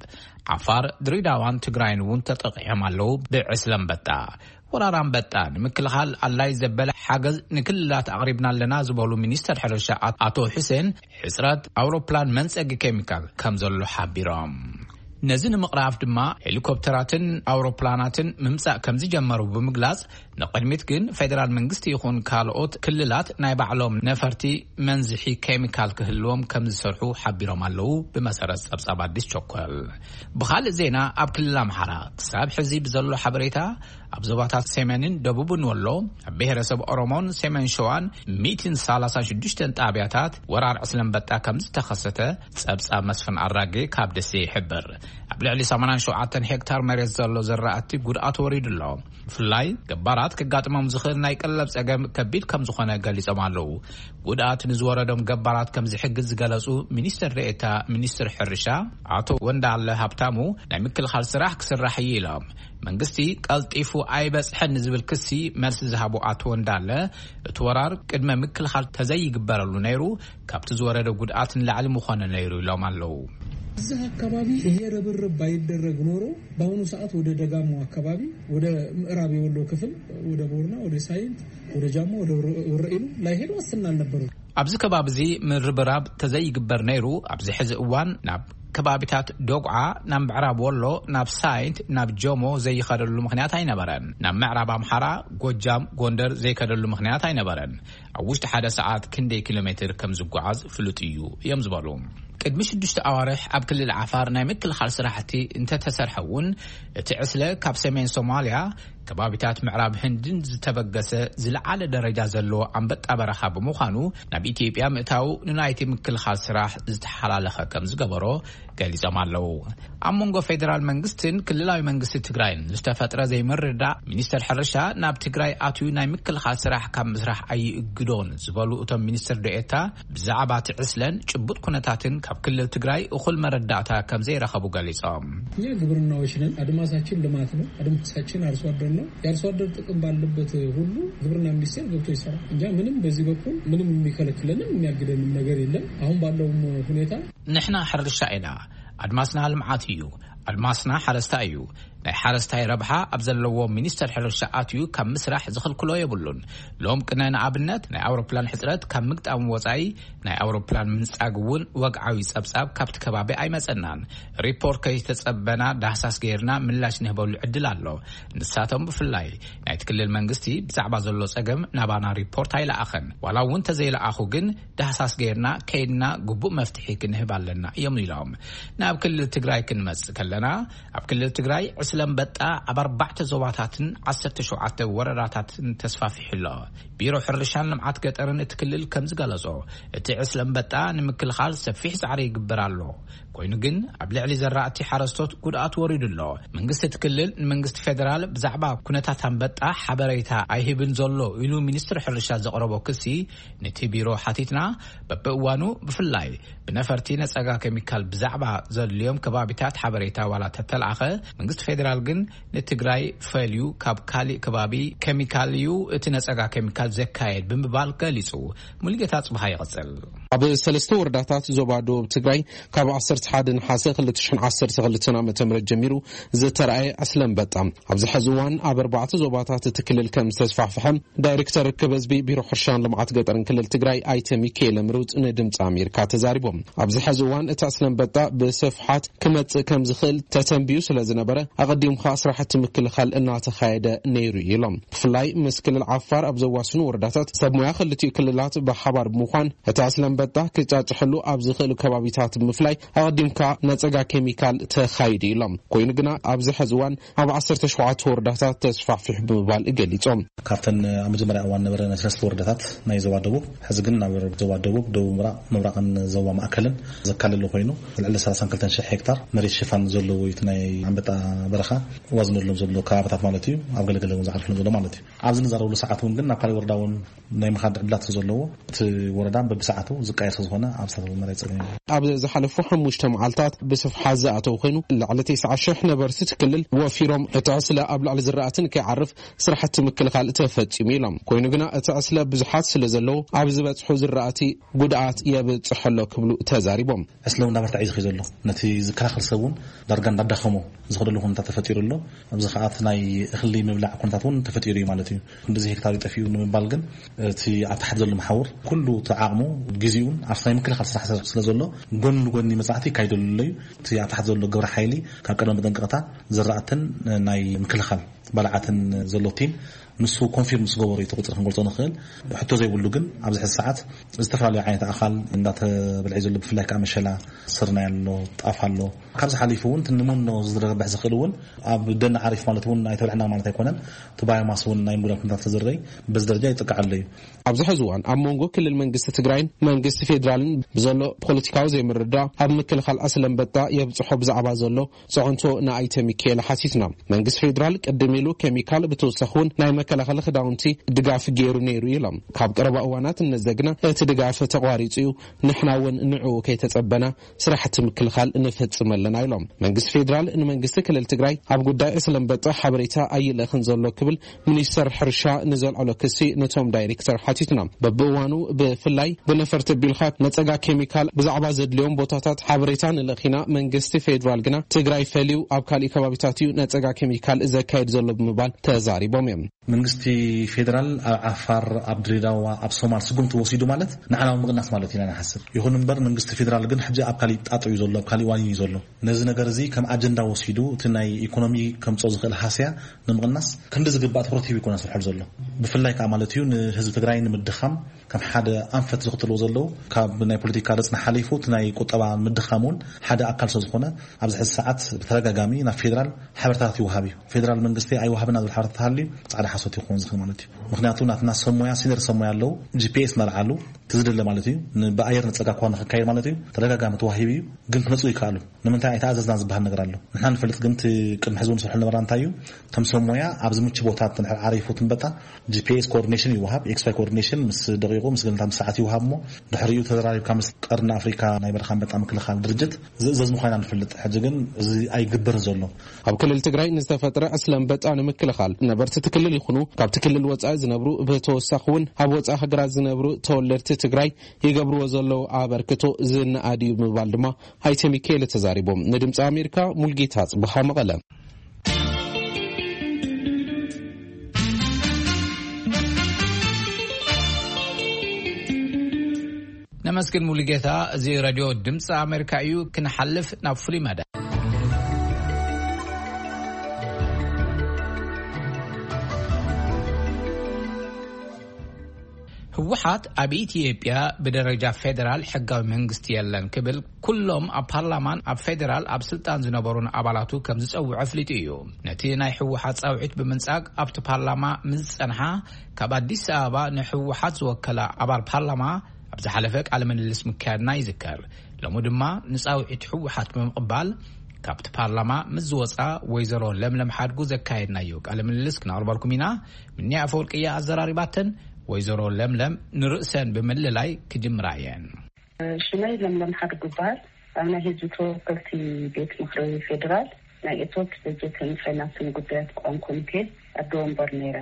ዓፋር፣ ድሬዳዋን ትግራይን እውን ተጠቂዖም ኣለዉ ብዕስለ ኣንበጣ። ወራር ኣንበጣ ንምክልኻል ኣድላይ ዘበለ ሓገዝ ንክልላት ኣቕሪብና ኣለና ዝበሉ ሚኒስተር ሕርሻ ኣቶ ሑሴን፣ ሕጽረት ኣውሮፕላን መንጸጊ ኬሚካል ከም ዘሎ ሓቢሮም። ነዚ ንምቕራፍ ድማ ሄሊኮፕተራትን ኣውሮፕላናትን ምምጻእ ከም ዝጀመሩ ብምግላጽ፣ ንቕድሚት ግን ፌደራል መንግስቲ ይኹን ካልኦት ክልላት ናይ ባዕሎም ነፈርቲ መንዝሒ ኬሚካል ክህልዎም ከም ዝሰርሑ ሓቢሮም ኣለዉ። ብመሰረት ጸብጻብ ኣዲስ ቸኮል። ብኻልእ ዜና፣ ኣብ ክልል ኣምሓራ ክሳብ ሕዚ ብዘሎ ሓበሬታ፣ ኣብ ዞባታት ሰሜንን ደቡብን ወሎ፣ ኣብ ብሄረሰብ ኦሮሞን ሰሜን ሸዋን ሚእትን ሰላሳን ሽዱሽተን ጣብያታት ወራር ዕስለ ኣንበጣ ከም ዝተኸሰተ ጸብጻብ መስፍን ኣራጌ ካብ ደሴ ይሕብር። ኣብ ልዕሊ ሰማንያን ሸውዓተን ሄክታር መሬት ዘሎ ዘራእቲ ጉድኣት ወሪዱ ኣሎ። ብፍላይ ገባራት ከጋጥሞም ዝኽእል ናይ ቀለብ ጸገም ከቢድ ከም ዝኾነ ገሊጾም ኣለዉ። ጉድኣት ንዝወረዶም ገባራት ከም ዝሕግዝ ዝገለጹ ሚኒስትር ዴኤታ ሚኒስትር ሕርሻ ኣቶ ወንዳለ ሃብታሙ፣ ናይ ምክልኻል ስራሕ ክስራሕ እዩ ኢሎም። መንግስቲ ቀልጢፉ ኣይበጽሐን ንዝብል ክሲ መልሲ ዝሃቡ ኣቶ ወንዳለ፣ እቲ ወራር ቅድመ ምክልኻል ተዘይግበረሉ ነይሩ፣ ካብቲ ዝወረደ ጉድኣት ንላዕሊ ምኾነ ነይሩ ኢሎም ኣለዉ። እዛ ኣካባቢ ይሄ ርብርብ ባይደረግ ኖሮ፣ በአሁኑ ሰዓት ወደ ደጋማው አካባቢ፣ ወደ ምዕራብ የወሎ ክፍል፣ ወደ ቦርና፣ ወደ ሳይንት፣ ወደ ጃሞ፣ ወደ ወረ-፣ ወረኢሉ ላይሄድ ዋስትና አልነበረው። ኣብዚ ከባቢ እዚ ምርብራብ ተዘይግበር ነይሩ፣ ኣብዚ ሕዚ እዋን ናብ ከባቢታት ዶግዓ፣ ናብ ምዕራብ ወሎ፣ ናብ ሳይንት፣ ናብ ጆሞ ዘይኸደሉ ምኽንያት ኣይነበረን። ናብ ምዕራብ ኣምሓራ፣ ጎጃም፣ ጎንደር ዘይከደሉ ምኽንያት ኣይነበረን። ኣብ ውሽጢ ሓደ ሰዓት ክንደይ ኪሎ ሜትር ከም ዝጓዓዝ ፍሉጥ እዩ እዮም ዝበሉ። ቅድሚ ሽዱሽተ ኣዋርሕ ኣብ ክልል ዓፋር ናይ ምክልኻል ስራሕቲ እንተተሰርሐ እውን፣ እቲ ዕስለ ካብ ሰሜን ሶማልያ ከባቢታት ምዕራብ ህንድን ዝተበገሰ ዝለዓለ ደረጃ ዘለዎ ኣንበጣ በረኻ ብምዃኑ፣ ናብ ኢትዮጵያ ምእታው ንናይቲ ምክልኻል ስራሕ ዝተሓላለኸ ከም ዝገበሮ ገሊጾም ኣለዉ። ኣብ መንጎ ፌደራል መንግስትን ክልላዊ መንግስቲ ትግራይን ዝተፈጥረ ዘይምርዳእ፣ ሚኒስተር ሕርሻ ናብ ትግራይ ኣትዩ ናይ ምክልኻል ስራሕ ካብ ምስራሕ ኣይእግዶን ዝበሉ እቶም ሚኒስትር ዴኤታ፣ ብዛዕባ እቲ ዕስለን ጭቡጥ ኩነታትን ካብ ክልል ትግራይ እኹል መረዳእታ ከም ዘይረኸቡ ገሊጾም። እኛ ግብርናዎች ነን። አድማሳችን ልማት ነው። አድማሳችን አርሶ አደር ነው። የአርሶ አደር ጥቅም ባለበት ሁሉ ግብርና ሚኒስቴር ገብቶ ይሰራል። እኛ ምንም በዚህ በኩል ምንም የሚከለክለንም የሚያግደንም ነገር የለም። አሁን ባለውም ሁኔታ ንሕና ሕርሻ ኢና። ኣድማስና ልምዓት እዩ። ኣድማስና ሓረስታይ እዩ። ናይ ሓረስታይ ረብሓ ኣብ ዘለዎ ሚኒስተር ሕርሻ ኣትዩ ካብ ምስራሕ ዝኽልክሎ የብሉን። ሎም ቅነ ንኣብነት ናይ ኣውሮፕላን ሕጽረት ካብ ምግጣም ወጻኢ ናይ ኣውሮፕላን ምንጻግ እውን ወግዓዊ ጸብጻብ ካብቲ ከባቢ ኣይመጸናን። ሪፖርት ከይተጸበና ዳህሳስ ገይርና ምላሽ ንህበሉ ዕድል ኣሎ። ንሳቶም ብፍላይ ናይቲ ክልል መንግስቲ ብዛዕባ ዘሎ ጸገም ናባና ሪፖርት ኣይለኣኸን። ዋላ እውን ተዘይለኣኹ ግን ዳህሳስ ገይርና ከይድና ግቡእ መፍትሒ ክንህብ ኣለና እዮም ኢሎም። ናብ ክልል ትግራይ ክንመጽእ ከለና፣ ኣብ ክልል ትግራይ ዕስለ ኣንበጣ ኣብ ኣርባዕተ ዞባታትን ዓሰርተ ሸውዓተ ወረዳታትን ተስፋፊሑ ኣሎ። ቢሮ ሕርሻን ልምዓት ገጠርን እቲ ክልል ከም ዝገለጾ፣ እቲ ዕስለ ኣንበጣ ንምክልኻል ሰፊሕ ጻዕሪ ይግበር ኣሎ። ኮይኑ ግን ኣብ ልዕሊ ዘራእቲ ሓረስቶት ጉድኣት ወሪዱ ኣሎ። መንግስቲ እቲ ክልል ንመንግስቲ ፌደራል ብዛዕባ ኩነታት ኣንበጣ ሓበሬታ ኣይህብን ዘሎ ኢሉ ሚኒስትሪ ሕርሻ ዘቕረቦ ክሲ፣ ነቲ ቢሮ ሓቲትና፣ በብእዋኑ ብፍላይ ብነፈርቲ ነጸጋ ኬሚካል ብዛዕባ ዘድልዮም ከባቢታት ሓበሬታ ዋላ ተተለኣኸ፣ መንግስቲ ፌደራል ግን ንትግራይ ፈልዩ ካብ ካሊእ ከባቢ ኬሚካል እዩ እቲ ነጸጋ ኬሚካል ዘካየድ ብምባል ገሊጹ። ሙሉጌታ ጽብሃ ይቕጽል። ኣብ ሰለስተ ወረዳታት ዞባ ደቡብ ትግራይ ካብ ዓሰርተ ሓደ ነሓሰ ክልተ ሽሕን ዓሰርተ ክልተን ዓመተ ምህረት ጀሚሩ ዝተራእየ ዕስለ ኣንበጣ ኣብዚ ሕዚ እዋን ኣብ ኣርባዕተ ዞባታት እቲ ክልል ከም ዝተስፋሕፍሐ ዳይሬክተር ርክብ ህዝቢ ቢሮ ሕርሻን ልምዓት ገጠርን ክልል ትግራይ ኣይተ ሚካኤል ምሩፅ ንድምፂ ኣሜሪካ ተዛሪቦም። ኣብዚ ሕዚ እዋን እቲ ዕስለ ኣንበጣ ብስፍሓት ክመፅእ ከም ዝኽእል ተተንቢዩ ስለ ዝነበረ ኣዲምካ ስራሕቲ ምክልኻል እናተኻየደ ነይሩ ኢሎም። ብፍላይ ምስ ክልል ዓፋር ኣብ ዘዋስኑ ወረዳታት ሰብ ሞያ ክልቲኡ ክልላት ብሓባር ብምዃን እቲ ዕስለ ኣንበጣ ክጫጭሐሉ ኣብ ዝኽእሉ ከባቢታት ብምፍላይ ኣቐዲምካ ነጸጋ ኬሚካል ተኻይዱ ኢሎም። ኮይኑ ግና ኣብዚ ሕዚ እዋን ኣብ ዓሰርተ ሸውዓተ ወረዳታት ተስፋሕፊሑ ብምባል ገሊጾም። ካብተን ኣብ መጀመርያ እዋን ነበረ ናይ ሰለስተ ወረዳታት ናይ ዞባ ደቡብ፣ ሕዚ ግን ናብ ዞባ ደቡብ፣ ደቡብ ምብራቕ፣ ምብራቕን ዞባ ማእከልን ዘካለለ ኮይኑ፣ ልዕሊ ሰላሳን ክልተን ሽሕ ሄክታር መሬት ሽፋን ዘለዎ እዩ እቲ ናይ ኣንበጣ በረኻ ዋዝነሎም ዘሎ ከባብታት ማለት እዩ። ኣብ ገለገለ እውን ዝዓርፍሎም ዘሎ ማለት እዩ። ኣብዚ ንዛረብሉ ሰዓት እውን ግን ናብ ካልእ ወረዳ እውን ናይ ምኻድ ዕድላት ዘለዎ፣ እቲ ወረዳ በብሰዓቱ ዝቀየር ስለ ዝኾነ ኣብ ሳተላይት መሬት ጸገም የብሉን። ኣብ ዝሓለፉ ሓሙሽተ መዓልታት ብስፍሓት ዝኣተው ኮይኑ፣ ልዕሊ ተስዓ ሽሕ ነበርቲ እቲ ክልል ወፊሮም፣ እቲ ዕስለ ኣብ ልዕሊ ዝራእቲ ንከይዓርፍ ስራሕቲ ምክልኻል ተፈጺሙ ኢሎም። ኮይኑ ግና እቲ ዕስለ ብዙሓት ስለ ዘለዉ ኣብ ዝበጽሑ ዝራእቲ ጉድኣት የብጽሕ ኣሎ ክብሉ ተዛሪቦም። ዕስለ እውን እናበርትዐ እዩ ዝኸይድ ዘሎ። ነቲ ዝከላኸል ሰብ እውን ዳርጋ እንዳዳኸሞ ዝኸደሉ ኩነታት ተፈጢሩ ኣሎ። ኣብዚ ከኣ እቲ ናይ እኽሊ ምብላዕ ኩነታት እውን ተፈጢሩ እዩ ማለት እዩ። ክንድዚ ሄክታር እዩ ጠፊኡ ንምባል ግን እቲ ኣብ ታሕቲ ዘሎ መሓውር ኩሉ እቲ ዓቕሙ ግዜኡን ኣብቲ ናይ ምክልኻል ስራሕ ስለ ዘሎ ጎኒ ንጎኒ መጻሕቲ ይካይደሉ ኣሎ እዩ። እቲ ኣብ ታሕቲ ዘሎ ግብረ ሓይሊ ካብ ቀደም መጠንቀቕታ ዝራእትን ናይ ምክልኻል ባልዓትን ዘሎ ቲም ንሱ ኮንፊርም ምስ ገበሩ እዩ እቲ ቁጽሪ ክንገልጾ ንኽእል። ሕቶ ዘይብሉ ግን ኣብዚ ሕዚ ሰዓት ዝተፈላለዩ ዓይነት ኣኻል እንዳተበልዐ ዘሎ፣ ብፍላይ ከዓ መሸላ፣ ስርናይ ኣሎ፣ ጣፍ ኣሎ። ካብዚ ሓሊፉ እውን እቲ ንመኖ ዝረብሕ ዝኽእል እውን ኣብ ደን ዓሪፍ ማለት እውን ኣይተብልዐና ማለት ኣይኮነን። እቲ ባዮማስ እውን ናይ ምጉዳል ኩነታት ተዝረይ በዚ ደረጃ ይጥቃዕ ኣሎ እዩ። ኣብዚ ሕዚ እዋን ኣብ መንጎ ክልል መንግስቲ ትግራይን መንግስቲ ፌዴራልን ብዘሎ ፖለቲካዊ ዘይምርዳእ ኣብ ምክልኻል ዕስለ ኣንበጣ የብፅሖ ብዛዕባ ዘሎ ፅዕንቶ ንኣይተ ሚካኤል ሓቲትና። መንግስቲ ፌዴራል ቅድም ኢሉ ኬሚካል ብተወሳኺ እውን ናይ መከላኸሊ ክዳውንቲ ድጋፍ ገይሩ ነይሩ ኢሎም። ካብ ቀረባ እዋናት እነዘግና እቲ ድጋፍ ተቋሪፁ እዩ፣ ንሕና እውን ንዕኡ ከይተፀበና ስራሕቲ ምክልኻል ንፈፅም ኣለና ኢሎም። መንግስቲ ፌዴራል ንመንግስቲ ክልል ትግራይ ኣብ ጉዳይ ዕስለ ኣንበጣ ሓበሬታ ኣይልእኽን ዘሎ ክብል ሚኒስተር ሕርሻ ንዘልዐሎ ክሲ ነቶም ዳይሬክተር ሓቲትና። በብእዋኑ ብፍላይ ብነፈርቲ ኣቢልካ ነፀጋ ኬሚካል ብዛዕባ ዘድልዮም ቦታታት ሓበሬታ ንልእኽ ኢና፣ መንግስቲ ፌዴራል ግና ትግራይ ፈልዩ ኣብ ካሊእ ከባቢታት እዩ ነፀጋ ኬሚካል ዘካየድ ዘሎ ብምባል ተዛሪቦም እዮም። መንግስቲ ፌዴራል ኣብ ዓፋር፣ ኣብ ድሬዳዋ፣ ኣብ ሶማል ስጉምቲ ወሲዱ ማለት ንዓና እውን ምቕናስ ማለት ኢና ንሓስብ። ይኹን እምበር መንግስቲ ፌዴራል ግን ሕጂ ኣብ ካሊእ ጣጥ እዩ ዘሎ፣ ኣብ ካሊእ ዋኒን እዩ ዘሎ። ነዚ ነገር እዚ ከም ኣጀንዳ ወሲዱ እቲ ናይ ኢኮኖሚ ከምፅኦ ዝኽእል ሃስያ ንምቕናስ ክንዲ ዝግባእ ትኹረት ሂቡ ኣይኮነን ዝሰርሐሉ ዘሎ። ብፍላይ ከዓ ማለት እዩ ንህዝቢ ትግራይ ንምድኻም ከም ሓደ ኣንፈት ዝኽተልዎ ዘለዉ ካብ ናይ ፖለቲካ ረፅና ሓሊፉ እቲ ናይ ቁጠባ ምድኻም እውን ሓደ ኣካል ስለ ዝኾነ ኣብዚ ሕዚ ሰዓት ብተደጋጋሚ ናብ ፌዴራል ሓበሬታታት ይወሃብ እዩ። ፌዴራል መንግስቲ ኣይወሃብና ዝብል ሓበሬታ ተሃልዩ ፃዕዳ ሓሶት ይኸውን ዝኽእል ማለት እዩ። ምኽንያቱ ናትና ሰብ ሞያ፣ ሲኒየር ሰብ ሞያ ኣለዉ፣ ጂ ፒ ኤስ እናልዓሉ እቲ ዝደለ ማለት እዩ ን-፣ ብኣየር ንፀጋ እኳ ንኽካየድ ማለት እዩ ተደጋጋሚ ተዋሂቡ እዩ፣ ግን ክመፁ ይከኣሉ። ንምንታይ ኣይተኣዘዝና ዝበሃል ነገር ኣሎ። ንሕና ንፈልጥ ግን እቲ ቅድሚ ሕዚ እውን ንሰርሖ ነበርና እንታይ እዩ፣ እቶም ሰብ ሞያ ኣብዚ ምቹ ቦታ እንድሕር ዓሪፉ ትንበጣ ጂ ፒ ኤስ ኮኦርዲኔሽን ይወሃብ፣ ኤክስ ዋይ ኮኦርዲኔሽን ምስ ደቂቁ ምስ ገለታት ምስ ሰዓት ይወሃብ እሞ ድሕሪኡ ተዘራሪብካ ምስ ቀርኒ ኣፍሪካ ናይ በረኻ ኣንበጣ ምክልኻል ድርጅት ዝእዘዝ ምዃንና ንፈልጥ። ሕጂ ግን እዚ ኣይግበርን ዘሎ። ኣብ ክልል ትግራይ ንዝተፈጥረ ዕስለ ኣንበጣ ንምክልኻል ነበርቲ እቲ ክልል ይኹኑ ካብቲ ክልል ወፃኢ ዝነብሩ ብተወሳኺ እውን ኣብ ወፃኢ ሃገራት ዝነብሩ ተወለድቲ ትግራይ ይገብርዎ ዘለዉ ኣበርክቶ ዝነኣድ እዩ ብምባል ድማ ኣይተ ሚካኤል ተዛሪቦም። ንድምፂ ኣሜሪካ ሙልጌታ ጽብሃ መቐለ። ነመስግን ሙሉጌታ። እዚ ሬድዮ ድምፂ ኣሜሪካ እዩ። ክንሓልፍ ናብ ፍሉይ መደብ። ህወሓት ኣብ ኢትዮጵያ ብደረጃ ፌደራል ሕጋዊ መንግስቲ የለን ክብል ኩሎም ኣብ ፓርላማን ኣብ ፌደራል ኣብ ስልጣን ዝነበሩን ኣባላቱ ከም ዝጸውዐ ኣፍሊጡ እዩ። ነቲ ናይ ህወሓት ጻውዒት ብምንጻግ ኣብቲ ፓርላማ ምስ ዝጸንሓ ካብ ኣዲስ ኣበባ ንህወሓት ዝወከላ ኣባል ፓርላማ ኣብ ዝሓለፈ ቃለ ምልልስ ምክያድና ይዝከር። ሎሚ ድማ ንጻውዒት ህወሓት ብምቕባል ካብቲ ፓርላማ ምስ ዝወጻ ወይዘሮ ለምለም ሓድጉ ዘካየድናዮ ቃለ ምልልስ ክነቕርበልኩም ኢና። ምንያ ኣፈወርቂ እያ ኣዘራሪባተን። ወይዘሮ ለምለም ንርእሰን ብምልላይ ክጅምራ እየን። ሽመይ ለምለም ሓድጉ ይበሃል። ኣብ ናይ ህዝቢ ተወከልቲ ቤት ምኽሪ ፌዴራል ናይ እቶት በጀትን ፋይናንስን ጉዳያት ቋሚ ኮሚቴ ኣደ ወንበር ነይረ።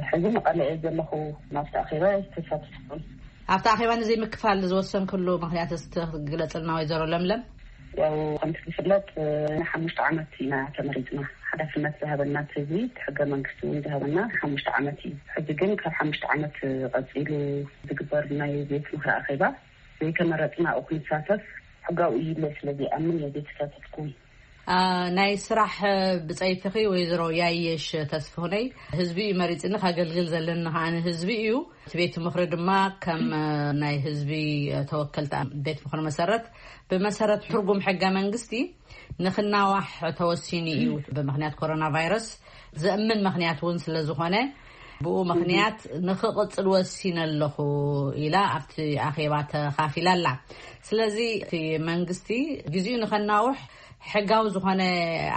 ሕዚ መቐለ እየ ዘለኹ። ናብቲ ኣኼባ ኣይተሳተፍኩን። ኣብቲ ኣኼባ ንዘይምክፋል ዝወሰንክሉ ምኽንያት እስቲ ክትግለጽልና ወይዘሮ ለምለም? ያው ከምቲ ዝፍለጥ ንሓሙሽተ ዓመት ኢና ተመሪጽና። ሓላፍነት ዝሃበና እቲ ህዝቢ፣ እቲ ሕገ መንግስቲ እውን ዝሃበና ሓሙሽተ ዓመት እዩ። ሕዚ ግን ካብ ሓሙሽተ ዓመት ቀጺሉ ዝግበር ናይ ቤት ምኽሪ ኣኼባ ዘይተመረጽና ኣብኡ ክንሳተፍ ሕጋዊ እዩ ኢለ ስለ ዘይኣምን እየ ዘይተሳተፍኩ። አ፣ ናይ ስራሕ ብጸይትኺ ወይዘሮ ያየሽ ተስፍሁነይ፣ ህዝቢ እዩ መሪጽኒ፣ ከገልግል ዘለኒ ከኣ ህዝቢ እዩ። እቲ ቤት ምኽሪ ድማ ከም ናይ ህዝቢ ተወከልቲ ቤት ምኽሪ መሰረት፣ ብመሰረት ትርጉም ሕገ መንግስቲ ንኽናዋሕ ተወሲኑ እዩ። ብምኽንያት ኮሮና ቫይረስ ዘእምን ምኽንያት እውን ስለ ዝኾነ፣ ብኡ ምኽንያት ንኽቕጽል ወሲነ ኣለኹ ኢላ ኣብቲ ኣኼባ ተኻፊላ ኣላ። ስለዚ እቲ መንግስቲ ግዜኡ ንኸናውሕ ሕጋዊ ዝኾነ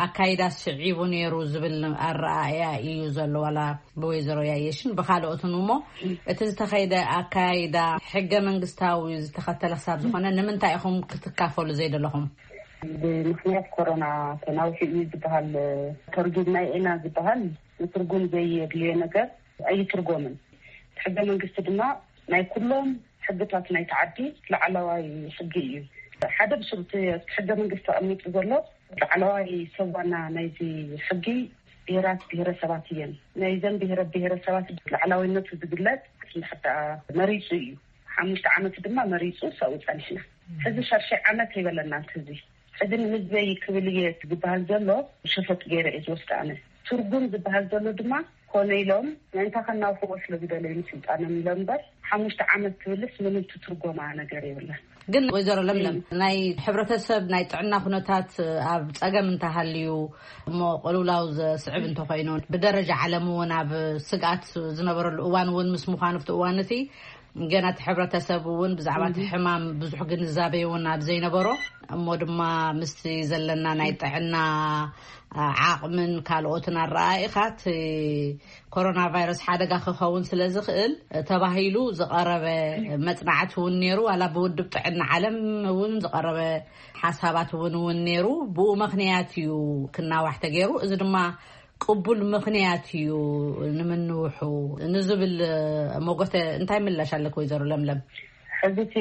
ኣካይዳ ስዒቡ ነይሩ ዝብል ኣረኣእያ እዩ ዘሎ፣ ዋላ ብወይዘሮ ያየሽን ብኻልኦትን እሞ፣ እቲ ዝተኸይደ ኣካይዳ ሕገ መንግስታዊ ዝተኸተለ ክሳብ ዝኾነ ንምንታይ ኢኹም ክትካፈሉ ዘይደለኹም? ብምኽንያት ኮሮና ተናውሒ እዩ ዝበሃል፣ ተርጉምና ኢና ዝበሃል ንትርጉም ዘየድልዮ ነገር ኣይትርጎምን። ሕገ መንግስቲ ድማ ናይ ኩሎም ሕግታት ናይቲ ዓዲ ላዕለዋይ ሕጊ እዩ። ሓደ ብስሩ እቲ ሕገ መንግስቲ ተቐሚጡ ዘሎ ላዕለዋይ ሰብ ዋና ናይዚ ሕጊ ብሄራት ብሄረሰባት እየን። ናይዘን ብሄረ ብሄረሰባት ላዕላዊነቱ ዝግለጽ እንድሕር ደኣ መሪጹ እዩ። ሓሙሽተ ዓመት ድማ መሪጹ ሰው ጸኒሕና። ሕዚ ሻድሻይ ዓመት ይበለና ህዝቢ። ሕዚ ንህዝበይ ክብል እየ ዝበሃል ዘሎ ሸፈጥ ገይረ እየ ዝወስድ ኣነ። ትርጉም ዝበሃል ዘሎ ድማ ኮነ ኢሎም ምእንታ ከናውሕዎ ስለ ዝደለዩ ንስልጣኖም ኢሎም እምበር ሓሙሽተ ዓመት ትብልስ ምንም ትትርጎማ ነገር የብላን። ግን ወይዘሮ ለምለም፣ ናይ ሕብረተሰብ ናይ ጥዕና ኩነታት ኣብ ጸገም እንተሃልዩ እሞ ቅልውላው ዘስዕብ እንተኾይኑ፣ ብደረጃ ዓለም እውን ኣብ ስግኣት ዝነበረሉ እዋን እውን ምስ ምዃኑ፣ ኣብቲ እዋን እቲ ገና እቲ ሕብረተሰብ እውን ብዛዕባ እቲ ሕማም ብዙሕ ግንዛቤ እውን ኣብ ዘይነበሮ፣ እሞ ድማ ምስቲ ዘለና ናይ ጥዕና ዓቕምን ካልኦትን ኣረኣኢኻ፣ እቲ ኮሮና ቫይረስ ሓደጋ ክኸውን ስለ ዝኽእል ተባሂሉ ዝቐረበ መጽናዕቲ እውን ነይሩ። ዋላ ብውድብ ጥዕና ዓለም እውን ዝቐረበ ሓሳባት እውን እውን ነይሩ። ብኡ ምኽንያት እዩ ክናዋሕ ተገይሩ። እዚ ድማ ቅቡል ምኽንያት እዩ ንምንውሑ ንዝብል ሞጎተ እንታይ ምላሽ ኣለክ ወይዘሮ ለምለም? ሕዚ እቲ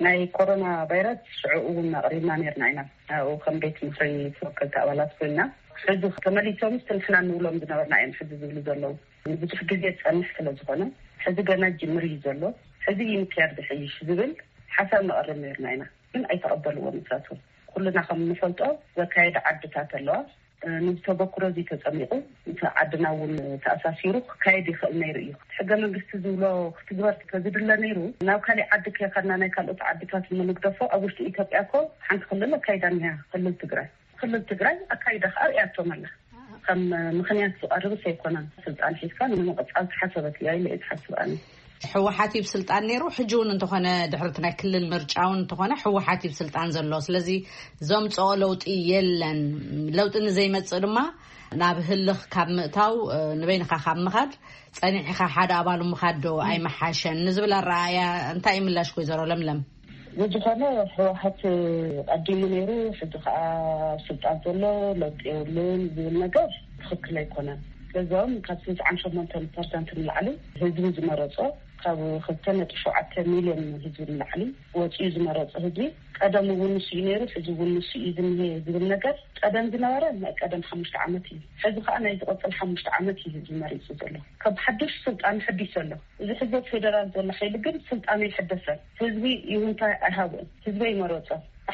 ናይ ኮሮና ቫይረስ ሽዑ እውን ኣቕሪብና ነርና ኢና። ኣብኡ ከም ቤት ምኽሪ ተወከልቲ ኣባላት ኮይና፣ ሕዚ ተመሊሶምስ ንሕና ንብሎም ዝነበርና እዮም ሕዚ ዝብሉ ዘለዉ። ንብዙሕ ግዜ ዝጸንሕ ስለ ዝኾነ፣ ሕዚ ገና ጅምር እዩ ዘሎ። ሕዚ እዩ ምክያድ ዝሕይሽ ዝብል ሓሳብ ነቕርብ ነርና ኢና፣ ግን ኣይተቐበልዎን ንሳቶም። ኩልና ከም እንፈልጦ ዘካየዳ ዓድታት ኣለዋ። እ፣ ነዚ ተበክሮ እዚ ተጸሚቑ፣ ምስ ዓድና እውን ተኣሳሲሩ ክካየድ ይኽእል ነይሩ እዩ። እቲ ሕገ መንግስቲ ዝብሎ ክትግበር ተዝድለ ነይሩ፣ ናብ ካሊእ ዓዲ ከይኸድና ናይ ካልኦት ዓድታት እሞ ንግደፎ፣ ኣብ ውሽጢ ኢትዮጵያ እኮ ሓንቲ ክልል ኣካይዳ እኒሃ፣ ክልል ትግራይ። ክልል ትግራይ ኣካይዳ ከኣ ርእያቶም ኣላ። ከም ምኽንያት ዝቐርብስ ኣይኮነን። ስልጣን ሒዝካ ንምቕጻል ተሓሰበት እያ ኢለ እየ ዝሓስብ ኣነ። ህወሓት እዩ ስልጣን ነይሩ። ሕጂ እውን እንተኾነ ድሕሪ እቲ ናይ ክልል ምርጫ እውን እንተኾነ ህወሓት እዩ ስልጣን ዘሎ። ስለዚ ዘምጽኦ ለውጢ የለን። ለውጢ ንዘይመጽእ ድማ ናብ ህልኽ ካብ ምእታው፣ እ፣ ንበይንኻ ካብ ምኻድ ጸኒዕኻ ሓደ ኣባሉ ምኻድ ዶ ኣይመሓሸን ንዝብል ኣረኣእያ እንታይ እዩ ምላሽ ወይዘሮ ለምለም? ብዝኾነ ህወሓት ቀዲሙ ነይሩ፣ ሕዚ ከዓ ስልጣን ዘሎ ለውጢ የብሉን ዝብል ነገር ትኽክል ኣይኮነን። ስለዚኦም ካብ ስልሳን ሸሞንተን ፐርሰንት ንላዕሊ ህዝቢ ዝመረጾ፣ ካብ ክልተ ነጥቢ ሸውዓተ ሚልዮን ህዝቢ ንላዕሊ ወፂኡ ዝመረጾ ህዝቢ፣ ቀደም እውን ንሱ እዩ ነይሩ፣ ሕዚ እውን ንሱ እዩ ዝኒሄ ዝብል ነገር ቀደም ዝነበረ ናይ ቀደም ሓሙሽተ ዓመት እዩ። ሕዚ ከዓ ናይ ዝቐፅል ሓሙሽተ ዓመት እዩ ህዝቢ መሪፁ ዘሎ። ካብ ሓዱሽ ስልጣን ሕዲስ ዘሎ። እዚ ሕዚ ኣብ ፌደራል ዘሎ ሓይሊ ግን ስልጣኑ ይሕደሰን ህዝቢ ይሁንታ ኣይሃብኡን። ህዝቢ ይመረጾ።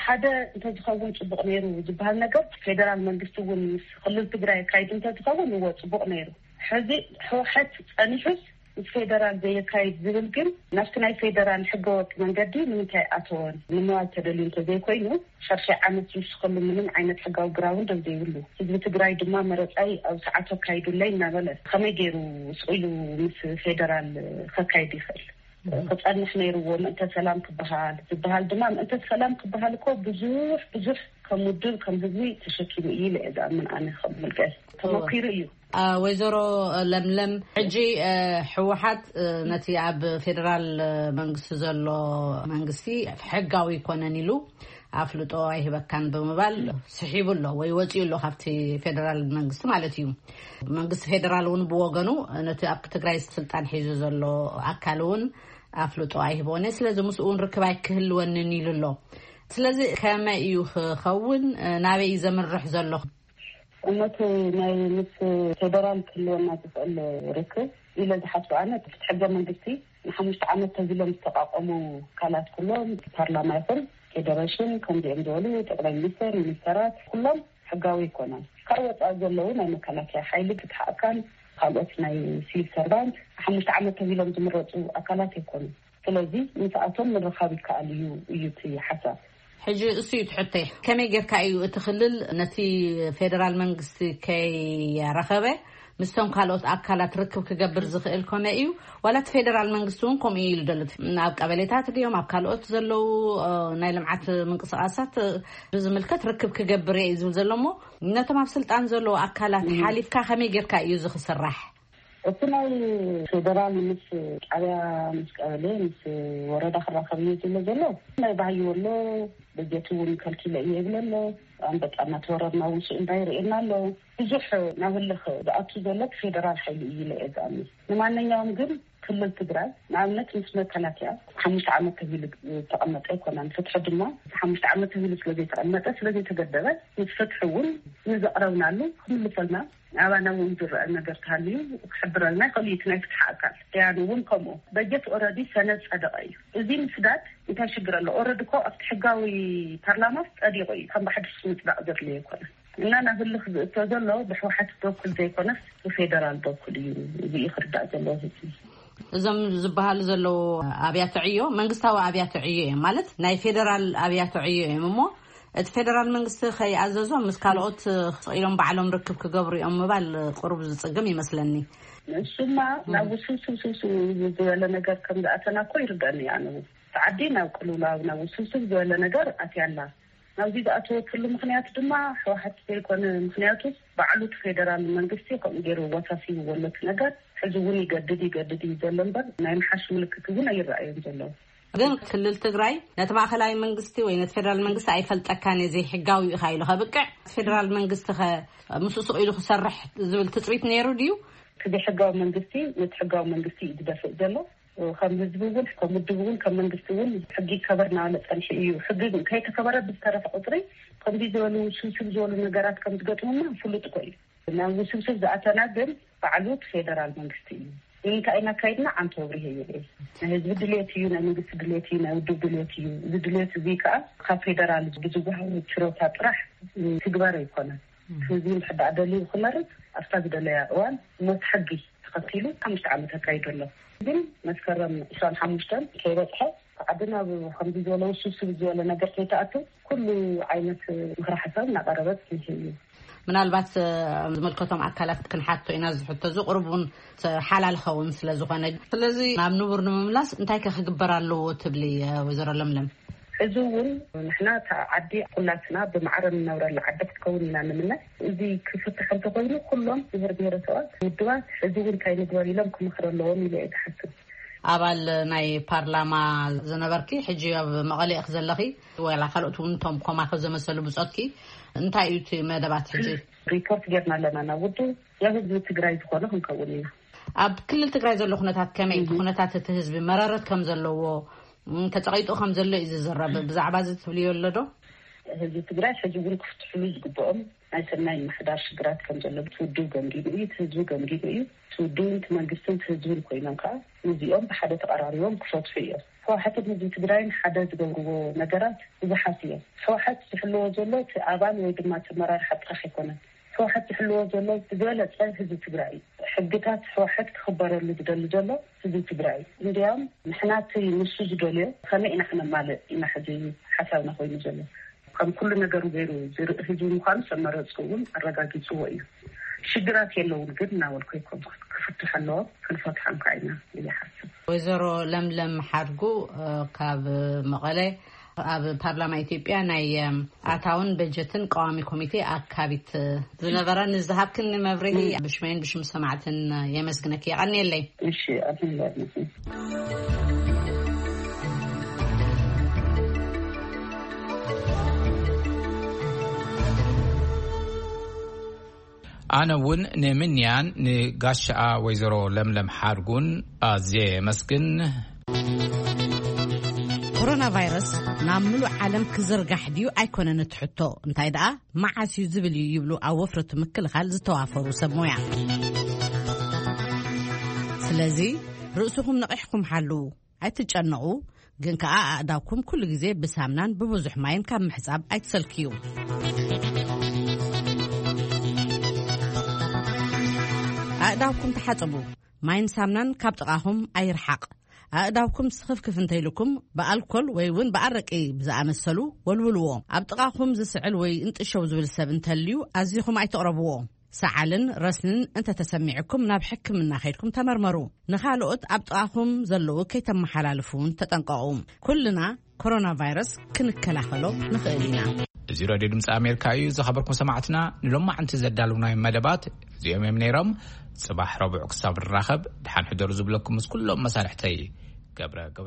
ሓደ እንተዝኸውን ጽቡቕ ነይሩ ዝበሃል ነገር ፌደራል መንግስቲ እውን ምስ ክልል ትግራይ ኣካይዱ እንተዝኸውን እዎ ጽቡቕ ነይሩ። ሕዚ ህወሓት ጸኒሑስ ምስ ፌደራል ዘየካይድ ዝብል ግን ናብቲ ናይ ፌደራል ሕገወጥ መንገዲ ንምንታይ ኣተወን ንምባል ተደልዩ እንተዘይኮይኑ ሻድሻይ ዓመት ዝውስኸሉ ምንም ዓይነት ሕጋዊ ግራውንድ ዘይብሉ ህዝቢ ትግራይ ድማ መረጻይ ኣብ ሰዓቱ ኣካይዱለይ እናበለ ከመይ ገይሩ ስቕ ኢሉ ምስ ፌደራል ከካይድ ይኽእል? ክጸንሕ ነይርዎ ምእንተ ሰላም ክበሃል ዝበሃል ድማ ምእንተ ሰላም ክበሃል እኮ ብዙሕ ብዙሕ ከም ውድብ ከም ህዝቢ ተሸኪሙ እዩ ኢለ እየ ዝኣምን ኣነ ከም ምልቀ ተመኪሩ እዩ። አ፣ ወይዘሮ ለምለም፣ ሕጂ፣ እ፣ ህወሓት፣ እ፣ ነቲ ኣብ ፌደራል መንግስቲ ዘሎ መንግስቲ ሕጋዊ ኣይኮነን ኢሉ ኣፍልጦ ኣይህበካን ብምባል ስሒቡ ኣሎ ወይ ወፂኡ ኣሎ ካብቲ ፌደራል መንግስቲ ማለት እዩ። መንግስቲ ፌደራል እውን ብወገኑ ነቲ ኣብ ትግራይ ስልጣን ሒዙ ዘሎ ኣካል እውን ኣፍልጦ ኣይህቦን እየ፣ ስለዚ ምስኡ እውን ርክብ ኣይክህልወንን ኢሉ ኣሎ። ስለዚ ከመይ እዩ ክኸውን? ናበይ እዩ ዘምርሕ ዘሎ? እነቱ ናይ ምስ ፌደራል ክህልወና ዝኽእል ርክብ ኢለ ዝሓስብ ኣነ፣ እቲ ሕገ መንግስቲ ንሓሙሽተ ዓመት ተዚሎም ዝተቋቋሙ ትካላት ኩሎም፣ ፓርላማ ይኹን ፌደሬሽን፣ ከምዚኦም ዝበሉ ጠቅላይ ሚኒስተር፣ ሚኒስተራት፣ ኩሎም ሕጋዊ ኣይኮነን። ካብ ወፃኢ ዘለዉ ናይ መከላከያ ሓይሊ፣ ፍትሒ ኣካል፣ ካልኦት ናይ ሲቪል ሰርቫንት፣ ሓሙሽተ ዓመት ተቢሎም ዝምረፁ ኣካላት ኣይኮኑን። ስለዚ ምስኣቶም ምርኻብ ይከኣል እዩ እዩ እቲ ሓሳብ። ሕጂ እሱ እዩ ትሕተይ። ከመይ ጌርካ እዩ እቲ ክልል ነቲ ፌደራል መንግስቲ ከይረኸበ ምስቶም ካልኦት ኣካላት ርክብ ክገብር ዝኽእል ኮነ እዩ? ዋላ እቲ ፌደራል መንግስቲ እውን ከምኡ እዩ ኢሉ ዘሎ? ኣብ ቀበሌታት ድዮም ኣብ ካልኦት ዘለዉ ናይ ልምዓት ምንቅስቃሳት ብዝምልከት ርክብ ክገብር እየ እዩ ዝብል ዘሎ እሞ፣ ነቶም ኣብ ስልጣን ዘለዉ ኣካላት ሓሊፍካ ከመይ ጌርካ እዩ እዚ ክስራሕ? እቲ ናይ ፌደራል ምስ ጣብያ፣ ምስ ቀበሌ፣ ምስ ወረዳ ክራኸብ እዩ ዝብሎ ዘሎ። ናይ ባሕዩ ኣሎ፣ በጀት እውን ከልኪለ እየ ይብለ ኣሎ። ኣንበጣ እናተወረርና እውን ስእንዳ ይርእየና ኣሎ። ብዙሕ ናብ ህልኽ ዝኣቱ ዘሎ ፌደራል ሓይሊ እዩ ኢለ እየ ዝኣምን። ንማንኛውም ግን ክልል ትግራይ ንኣብነት ምስ መከላከያ ሓሙሽተ ዓመት ተቢሉ ዝተቐመጠ ኣይኮነን። ፍትሒ ድማ ሓሙሽተ ዓመት ተቢሉ ስለዘይተቐመጠ፣ ስለዘይተገደበ፣ ምስ ፍትሒ እውን ንዘቕረብናሉ ክምልሰልና፣ ኣባና እውን ዝረአ ነገር ተሃልዩ ክሕብረልና ይኽእል እዩ። እቲ ናይ ፍትሒ ኣካል ያኑ እውን ከምኡ። በጀት ኦረዲ ሰነድ ጸደቐ እዩ። እዚ ምስዳድ እንታይ ሽግር ኣሎ? ኦረዲ እኮ ኣብቲ ሕጋዊ ፓርላማ ጸዲቑ እዩ። ከም ብሓድሽ ምጽዳቕ ዘድልዮ ኣይኮነን። እና ናብ ህልኽ ዝእቶ ዘሎ ብሕወሓት በኩል ዘይኮነስ ብፌደራል በኩል እዩ። እዚ እዩ ክርዳእ ዘለዎ ህዝቢ። እዞም ዝበሃሉ ዘለዉ ኣብያተ ዕዮ መንግስታዊ ኣብያተ ዕዮ እዮም፣ ማለት ናይ ፌደራል ኣብያተ ዕዮ እዮም። እሞ እቲ ፌደራል መንግስቲ ከይኣዘዞም ምስ ካልኦት ኢሎም ባዕሎም ርክብ ክገብሩ እዮም ምባል ቁሩብ ዝጽግም ይመስለኒ። ንሱማ ናብ ውስብስብ ስብስብ ዝበለ ነገር ከም ዝኣተና እኮ ይርዳእኒ። ኣነ እውን እቲ ዓዲ ናብ ቅልውላው፣ ናብ ውስብስብ ዝበለ ነገር ኣትያ ኣላ። ናብዚ ዝኣተወትሉ ምኽንያት ድማ ህወሓት ዘይኮነ፣ ምኽንያቱ ባዕሉ እቲ ፌደራል መንግስቲ ከምኡ ገይሩ ወሳሲብዎ ኣሎ እቲ ነገር። ሕዚ እውን ይገድድ ይገድድ እዩ ዘሎ እምበር ናይ ምሓሽ ምልክት እውን ኣይረኣዮን ዘለዉ። ግን ክልል ትግራይ ነቲ ማእኸላዊ መንግስቲ ወይ ነቲ ፌደራል መንግስቲ ኣይፈልጠካን እየ፣ ዘይሕጋዊ ኢኻ ኢሉ ከብቅዕ፣ እቲ ፌደራል መንግስቲ ከ ምስኡ ስቕ ኢሉ ክሰርሕ ዝብል ትፅቢት ነይሩ ድዩ? እቲ ዘይሕጋዊ መንግስቲ ነቲ ሕጋዊ መንግስቲ እዩ ዝደፍእ ዘሎ። ከም ህዝቢ እውን፣ ከም ውድብ እውን፣ ከም መንግስቲ እውን ሕጊ ይከበር እናበለ ጸኒሑ እዩ። ሕጊ ከይተከበረ ብዝተረፈ ቁፅሪ ከምዚ ዝበሉ ውስብስብ ዝበሉ ነገራት ከም ዝገጥሙና ፍሉጥ እኮ እዩ። ናብ ውስብስብ ዝኣተና ግን ባዕሉ እቲ ፌደራል መንግስቲ እዩ። ንምንታይ ኢና ኣካይድና? ኣንተ ወብሪሄ ይብል። ናይ ህዝቢ ድሌት እዩ፣ ናይ መንግስቲ ድሌት እዩ፣ ናይ ውድብ ድሌት እዩ። እዚ ድሌት እዚ ከዓ ካብ ፌደራል ብዝወሃብ ችሮታ ጥራሕ ትግበር ኣይኮነን። ህዝቢ እንድሕር ደኣ ደልዩ ክመርጽ ኣብታ ዝደለያ እዋን ሞት ሕጊ ተኸቲሉ ሓሙሽተ ዓመት ኣካይዱ ኣሎ። ግን መስከረም ዕስራን ሓሙሽተን ከይበጽሐ ዓዲ ናብ ከምዚ ዝበለ ውስብስብ ዝበለ ነገር ከይትኣቱ ኩሉ ዓይነት ምኽሪ ሓሳብ እናቐረበ ጽኒሑ እዩ። ምናልባት ዝመልከቶም ኣካላት ክንሓቶ ኢና። ዝሕቶ ዝቕርብ እውን ሓላል ኸውን ስለ ዝኾነ፣ ስለዚ ናብ ንቡር ንምምላስ እንታይ ከ ክግበር ኣለዎ ትብሊ ወይዘሮ ለምለም? እዚ እውን ንሕና እታ ዓዲ ኩላትና ብማዕረ ንነብረላ ዓዲ ክትከውን ኢና ንምነ። እዚ ክፍትሕ እንተኮይኑ ኩሎም ብሄር ብሄረሰባት ውድባት እዚ እውን እንታይ ንግበር ኢሎም ክመኽሩ ኣለዎም ኢለ እየ ዝሓስብ። ኣባል ናይ ፓርላማ ዝነበርኪ ሕጂ ኣብ መቐለ ኢኺ ዘለኺ፣ ወላ ካልኦት እውን እቶም ኮማኸ ዘመሰሉ ብጾትኪ እንታይ እዩ እቲ መደባት ሕጂ? ሪፖርት ጌርና ኣለና ናብ ውድብ፣ ናብ ህዝቢ ትግራይ ዝኾነ ክንከውን ኢና። ኣብ ክልል ትግራይ ዘሎ ኩነታት ከመይ እዩ? ኩነታት እቲ ህዝቢ መረረት ከም ዘለዎ ተፀቒጡ ከም ዘሎ እዩ ዝዝረብ። ብዛዕባ እዚ ትብልዮ ኣሎ ዶ? ህዝቢ ትግራይ ሕዚ እውን ክፍትሕሉ ዝግብኦም ናይ ሰናይ ምሕዳር ሽግራት ከም ዘሎ እቲ ውድብ ገምጊሙ እዩ፣ እቲ ህዝቢ ገምጊሙ እዩ። እቲ ውድብን እቲ መንግስትን እቲ ህዝብን ኮይኖም ከዓ ነዚኦም ብሓደ ተቐራሪቦም ክፈትሑ እዮም። ህወሓትን ህዝቢ ትግራይን ሓደ ዝገብርዎ ነገራት ብዙሓት እዮም። ህወሓት ዝሕልዎ ዘሎ እቲ ኣባል ወይ ድማ እቲ ኣመራርሓ ጥራሕ ኣይኮነን። ህወሓት ዝሕልዎ ዘሎ ዝበለፀ ህዝቢ ትግራይ እዩ። ሕግታት ህወሓት ክኽበረሉ ዝደሊ ዘሎ ህዝቢ ትግራይ እዩ። እንዲያውም ንሕና እቲ ንሱ ዝደልዮ ከመይ ኢና ክነማልእ ኢና ሕዚ ሓሳብና ኮይኑ ዘሎ። ከም ኩሉ ነገሩ ገይሩ ዝርኢ ህዝቢ ምዃኑ ሰብ መረፅኡ እውን ኣረጋጊፅዎ እዩ። ሽግራት የለውን ግን እናበልኩ ኣይኮንኩን። ክፍትሑ ኣለዎም፣ ክንፈትሖም ከዓ ኢና እየ ሓስብ። ወይዘሮ ለምለም ሓድጉ ካብ መቐለ፣ ኣብ ፓርላማ ኢትዮጵያ ናይ ኣታውን በጀትን ቀዋሚ ኮሚቴ ኣካቢት ዝነበራ፣ ንዝሃብክኒ መብርሂ ብሽመይን ብሽም ሰማዕትን የመስግነኪ። የቐንየለይ። እሺ፣ ኣሜን። ኣነ እውን ንምንያን ንጋሻኣ ወይዘሮ ለምለም ሓድጉን ኣዝየ የመስግን። ኮሮና ቫይረስ ናብ ምሉእ ዓለም ክዝርጋሕ ድዩ ኣይኮነን እቲ ሕቶ፣ እንታይ ደኣ መዓስ እዩ ዝብል እዩ ይብሉ ኣብ ወፍሪ ምክልኻል ዝተዋፈሩ ሰብ ሞያ። ስለዚ ርእስኹም ነቒሕኩም ሓልዉ፣ ኣይትጨነቑ፣ ግን ከኣ ኣእዳውኩም ኩሉ ግዜ ብሳምናን ብብዙሕ ማይን ካብ ምሕጻብ ኣይትሰልክዩ። ኣእዳውኩም ተሓጸቡ። ማይን ሳምናን ካብ ጥቓኹም ኣይርሓቕ። ኣእዳውኩም ስኽፍክፍ እንተይልኩም ብኣልኮል ወይ እውን ብኣረቂ ብዝኣመሰሉ ወልውልዎ። ኣብ ጥቓኹም ዝስዕል ወይ እንጥሸው ዝብል ሰብ እንተልዩ ኣዚኹም ኣይትቕረብዎ። ሰዓልን ረስንን እንተተሰሚዕኩም ናብ ሕክምና ከይድኩም ተመርመሩ። ንኻልኦት ኣብ ጥቓኹም ዘለዉ ከይተመሓላልፉ እውን ተጠንቀቑ። ኩልና ኮሮና ቫይረስ ክንከላኸሎ ንኽእል ኢና። እዚ ሬድዮ ድምፂ ኣሜሪካ እዩ። ዝኸበርኩም ሰማዕትና፣ ንሎማዕንቲ ዘዳለውናዮም መደባት እዚኦም እዮም ነይሮም። ጽባሕ ረቡዕ ክሳብ ንራኸብ፣ ድሓን ሕደሩ ዝብለኩም ምስ ኩሎም መሳርሕተይ ገብረ ገብረ